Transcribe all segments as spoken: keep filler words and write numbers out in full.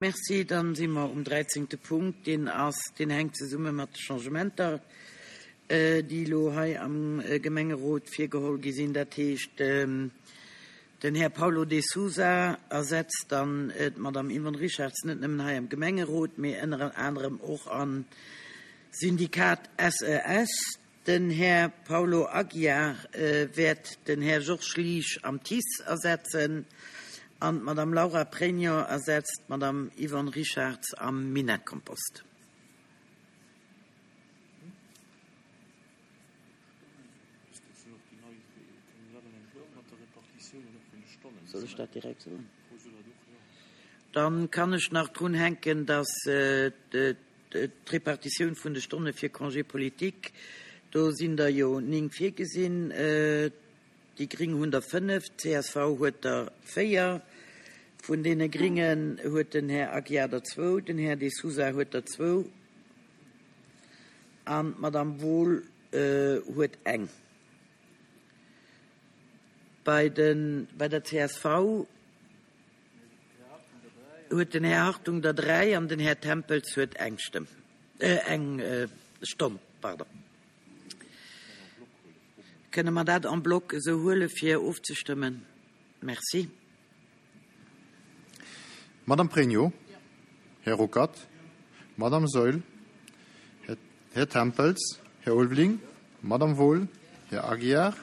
Merci. Dann si mer um dräizéngte Punkt. Deen ass, deen hänkt zesumme mat de Changementer, déi elo hei am Gemengerot virgeholl gi sinn. Dat heescht, den Här Paulo de Sousa ersetzt dann d'Madame Yvonne Richarz net nëmmen hei am Gemengerot, mee ënner anerem och am Syndikat S E S. Den Här Paulo Aguiar wäert den Här Georges Liesch am T I C E ersetzen an d'Madame Laura Pregno ersetzt d'Madame Yvonne Richarz am Minett-Kompost. Soll ech dat direkt soen? Dann kann ech nach drun hänken, dass d'Repartitioun vun de Stonne fir Congé politique, do sinn der jo néng virgesinn, déi Gring hunn der fënnef, d'C S V huet der véier. Vun deene Gringen huet den Här Aguiar der zwou, den Här De Sousa huet der zwou an d'Madame Wohl huet eng. Bei den, bei der C S V huet den Här Hartung der dräi an den Här Tempels huet eng Stëmm, eng Stonn, pardon. Kënne mer dat en bloc esou huele fir ofzestëmmen? Merci. Madame Pregno, Här Ruckert, Madame Saeul, Här, Här Tempels, Här Ulveling, Madame Wohl, Här Aguiar,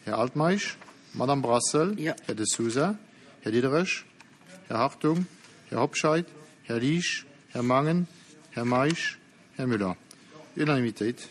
Här Altmeisch, Madame Brassel, Ja. Här De Sousa, Här Diderich, Här Hartung, Här Hobscheit, Här Liesch, Här Mangen, Här Meisch, Här Müller. Unanimitéit.